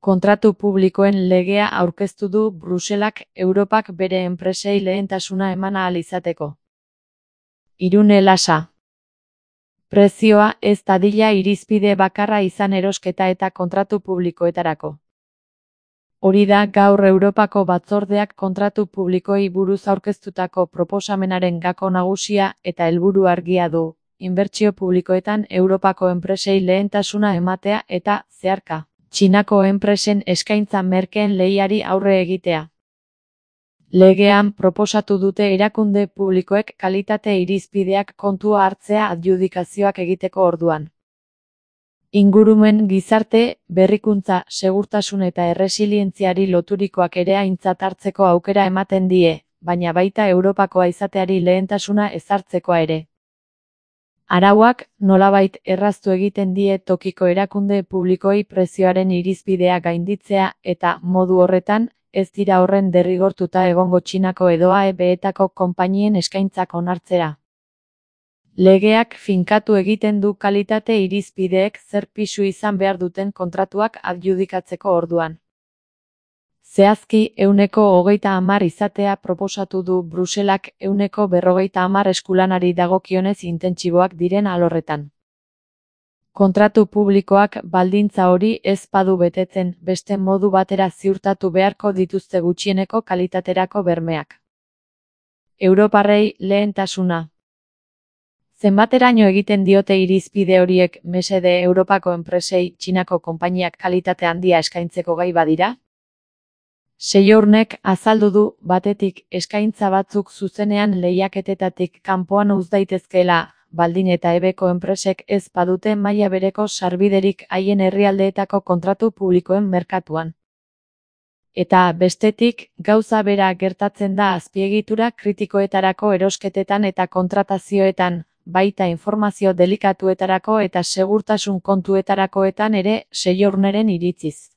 Kontratu publikoen legea aurkeztu du Bruselak Europak bere enpresei lehentasuna eman ahal izateko. Irune Lasa. Prezioa ez dadila irizpide bakarra izan erosketa eta kontratu publikoetarako. Hori da gaur Europako Batzordeak kontratu publikoei buruz aurkeztutako proposamenaren gako nagusia eta helburu argia du, inbertsio publikoetan Europako enpresei lehentasuna ematea eta, zeharka, Txinako enpresen eskaintza merkeen lehiari aurre egitea. Legean proposatu dute erakunde publikoek kalitate irizpideak kontua hartzea adjudikazioak egiteko orduan. Ingurumen, gizarte, berrikuntza, segurtasun eta erresilientziari loturikoak ere aintzat hartzeko aukera ematen die, baina baita Europakoa izateari lehentasuna ezartzekoa ere. Arauak, nolabait erraztu egiten die tokiko erakunde publikoei prezioaren irizpidea gainditzea eta, modu horretan, ez dira horren derrigortuta egongo Txinako edo AEB-etako konpainien eskaintzak onartzera. Legeak finkatu egiten du kalitate irizpideek zer pisu izan behar duten kontratuak adjudikatzeko orduan. Zehazki 130 izatea proposatu du Bruselak 150 eskulanari dagokionez intentsiboak diren alorretan. Kontratu publikoak baldintza hori ez badu betetzen, beste modu batera ziurtatu beharko dituzte gutxieneko kalitaterako bermeak. Europarrei lehentasuna. Zenbateraino egiten diote irizpide horiek mesede Europako enpresei Txinako konpainiak kalitate handia eskaintzeko gai badira? Seiornek azaldu du, batetik, eskaintza batzuk zuzenean lehiaketetatik kanpoan uz daitezkeela, baldin eta ebeko enpresek ez badute maila bereko sarbiderik haien herrialdeetako kontratu publikoen merkatuan. Eta, bestetik, gauza bera gertatzen da azpiegitura kritikoetarako erosketetan eta kontratazioetan, baita informazio delikatuetarako eta segurtasun kontuetarakoetan ere Seiorneren iritziz.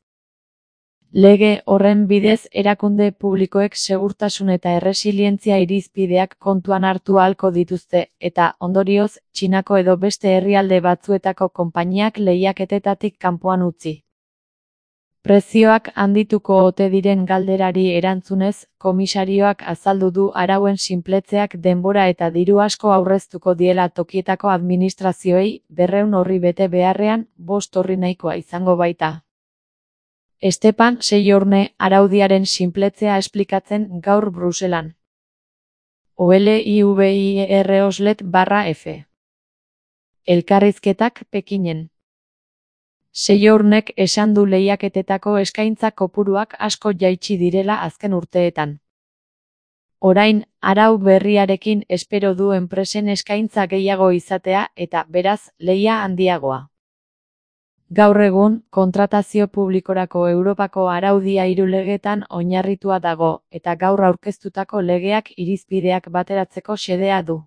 Lege horren bidez erakunde publikoek segurtasun eta erresilientzia irizpideak kontuan hartu ahalko dituzte eta, ondorioz, Txinako edo beste herrialde batzuetako konpainiak lehiaketetatik kanpoan utzi. Prezioak handituko ote diren galderari erantzunez, komisarioak azaldu du arauen sinpletzeak denbora eta diru asko aurreztuko diela tokietako administrazioei 200 orri bete beharrean 5 orri nahikoa izango baita. Estepan Seiorne araudiaren sinpletzea esplikatzen gaur Bruselan. OLIVIER/Oslet/F. Elkarrizketak Pekinen. Seiornek esan du lehiaketetako eskaintza kopuruak asko jaitsi direla azken urteetan. Orain, arau berriarekin espero du enpresen eskaintza gehiago izatea eta, beraz, lehia handiagoa. Gaur egun, kontratazio publikorako Europako araudia 3 legetan oinarritua dago, eta gaur aurkeztutako legeak irizpideak bateratzeko xedea du.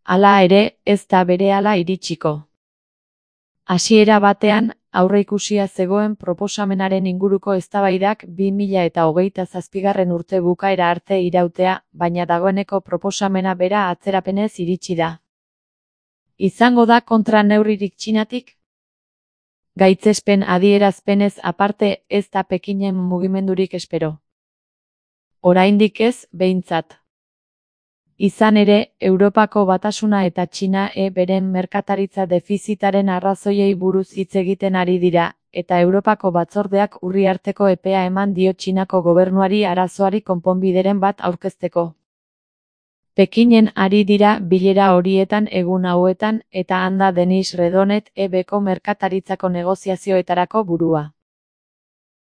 Hala ere, ez da berehala iritsiko. Hasiera batean, aurreikusia zegoen proposamenaren inguruko eztabaidak 2027 urte bukaera arte irautea, baina dagoeneko proposamena bera atzerapenez iritsi da. Izango da kontra neurririk Txinatik? Gaitzespen adierazpenez aparte ez da Pekinen mugimendurik espero. Oraindik ez, behintzat. Izan ere, Europako Batasuna eta Txina beren merkataritza defizitaren arrazoiei buruz hitz egiten ari dira, eta Europako Batzordeak urriarteko epea eman dio Txinako gobernuari arazoari konponbideren bat aurkezteko. Pekinen ari dira bilera horietan egun hauetan eta han da Denis Redonet EBko merkataritzako negoziazioetarako burua.